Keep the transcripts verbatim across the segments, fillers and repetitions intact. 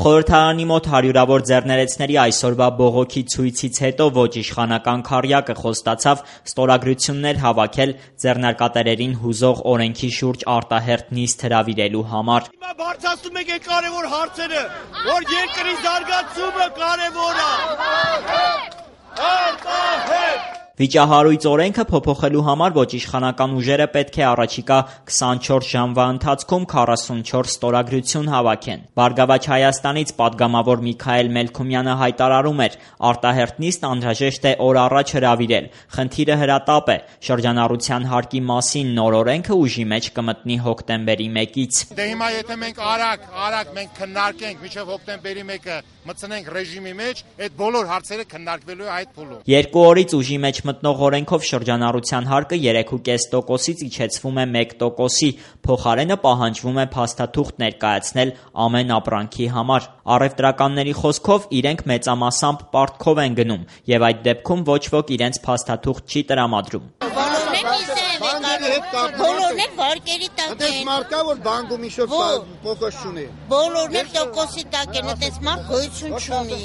Խորհրդարանի մոտ հարյուրավոր ձեռներեցների այսօրվա բողոքի ցույցից հետո ոչ իշխանական քառյակը խոստացավ ստորագրություններ հավաքել ձեռնարկատերերին հուզող օրենքի շուրջ արտահերթ նիստ հրավիրելու համար։ Հիմա բարձրացնում եք այդ կարևոր հարցերը, որ երկրի զարգացումը կարևոր է։ Արտահերթ Վիճահարույց օրենքը փոփոխելու համար ոչ իշխանական ուժերը պետք է առաջիկա քսանչորս ժամվա ընթացքում քառասունչորս ստորագրություն հավաքեն։ Բարգավաճ Հայաստանից պատգամավոր Միքայել Մելքումյանը հայտարարում էր, արտահերթ նիստ անհրաժեշտ է օր առաջ հրավիրել։ Խնդիրը հրատապ է, շրջանառության հարկի մասին նոր օրենքը ուժի մեջ կմտնի հոկտեմբերի մեկից։ Դե հիմա եթե մենք արագ, արագ մենք քննարկենք մինչև հոկտեմբերի մեկը մտցնենք ռեժիմի մեջ, այդ բոլոր հարցերը քննարկվելու է այդ փուլում։ Երկու օրից ուժի մեջ մտնող օրենքով շրջանառության հարկը երեք կόμμα պենս տոկոսից իջեցվում է մեկ տոկոսի, փոխարենը պահանջվում է փաստաթուղթ ներկայացնել ամեն ապրանքի համար։ Առևտրականների խոսքով իրենք մեծամասամբ պարտքով են գնում եւ այդ դեպքում ոչ ոք իրենց փաստաթուղթ չի տրամադրում։ Բոլորն էլ վարկերի տակ են։ Այդպես մարկա որ բանկում ինչ-որ փոխոց չունի։ Բոլորն էլ տոկոսի տակ են, այդպես մարդ գոյություն չունի։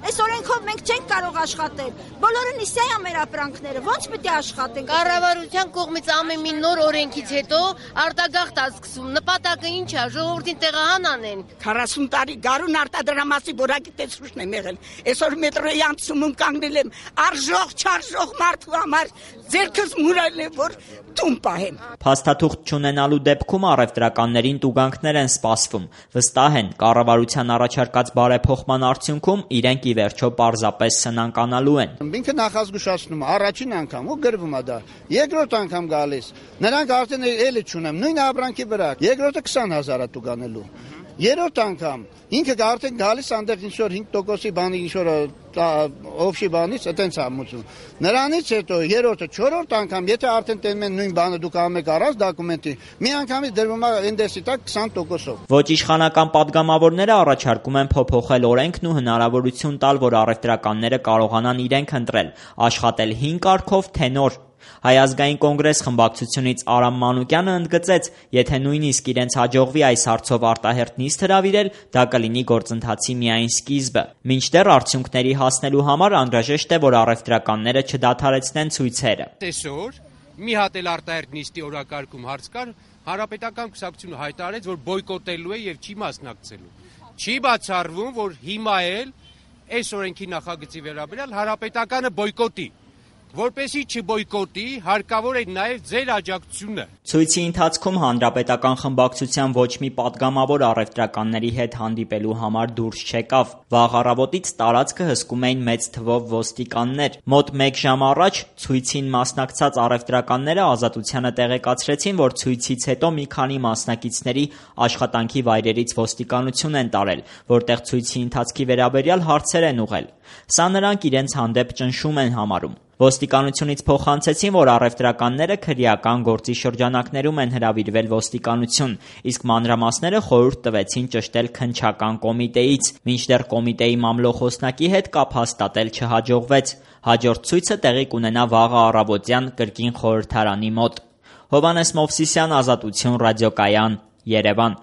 Այս օրենքով մենք չենք կարող աշխատել։ Բոլորը նիսյա է մեր ապրանքները, ո՞նց պետք է աշխատենք։ Կառավարության կողմից ամեն մի նոր օրենքից հետո արտագաղթ է սկսվում։ Նպատակը ինչ է, ժողովրդին տեղահան անեն։ քառասուն տարի գարուն արտադրամասի որակի տեսուչն եմ եղել։ Այսօր մետրոյի անցումում կանգնել եմ արժող, չարժող մարդու համար ձերքս մուրայել է, որ տուն պահեմ։ Փաստաթուղթ չունենալու դեպքում առևտրականներին տուգանքներ են սպասվում։ Վստահ են, կառավարության առաջարկած բարեփոխման արդյունքում իրենք ի վերջո պարզապես սնանկանալու են։ Ինքը նախազգուշացնում է առաջին անգամ ու գրվում է դա։ Երկրորդ անգամ գալիս։ Նրանք արդեն էլի չունեմ, նույն ապրանքի վրա։ Երկրորդը քսան հազար է տուգանելու։ Երրորդ անգամ ինքը արդեն գալիս այնտեղ ինչ որ հինգ տոկոսի բանի ինչ որ օֆշի բանից այտենց ամուսում։ Նրանից հետո երրորդը, չորրորդ անգամ, եթե արդեն տենում են նույն բանը դուք ամեք առած դոկումենտի, մի անգամից դրվում է ինդեսի տակ քսան տոկոսով։ Ոչ իշխանական պատգամավորները առաջարկում են փոփոխել օրենքն ու հնարավորություն տալ, որ առևտրականները կարողանան իրենք ընտրել, աշխատել հին կարգով, թե նոր։ Հայ ազգային կոնգրես խմբակցությունից Արամ Մանուկյանը ընդգծեց, եթե նույնիսկ իրենց հաջողվի այս հարցով արտահերթ նիստ հրավիրել, դա կլինի գործընթացի միայն սկիզբը։ Մինչդեռ արդյունքների հասնելու համար անհրաժեշտ է, որ առևտրականները չդադարեցնեն ցույցերը։ Այսօր մի հատ էլ արտահերթ նիստի օրակարգում հարց կար, Հանրապետական կուսակցությունը հայտարարեց, որ բոյկոտելու է եւ չի մասնակցելու։ Չի բացառվում, որ հիմա էլ այս օրենքի նախագծի վերաբերյալ Հանրապետականը բոյկոտի։ Որպեսզի չբոյկոտի, հարկավոր է նաև ձեր աջակցությունը։ Ցույցի ընթացքում հանրապետական խմբակցության ոչ մի պատգամավոր առևտրականների հետ հանդիպելու համար դուրս չեկավ։ Վաղ առավոտից տարածքը հսկում էին մեծ թվով ոստիկաններ։ Մոտ մեկ ժամ առաջ ցույցին մասնակցած առևտրականները Ազատությանը տեղեկացրեցին, որ ցույցից հետո մի քանի մասնակիցների աշխատանքի վայրերից ոստիկանություն են տարել, որտեղ ցույցի ընթացքի վերաբերյալ հարցեր են ուղղել։ Սա նրանք իրենց հանդեպ ճնշում են համարում։ Ոստիկանությունից փոխանցեցին, որ առևտրականները քրեական գործի շրջանակներում են հրավիրվել ոստիկանություն, իսկ մանրամասները խորհուրդ տվեցին ճշտել քննչական կոմիտեից, մինչդեռ կոմիտեի մամլոխոսնակի հետ կապ հաստատել չհաջողվեց։ Հաջորդ ցույցը տեղի կունենա վաղը առավոտյան կրկին խորհրդարանի մոտ։ Հովհաննես Մովսիսյան, Ազատություն ռադիոկայան, Երևան։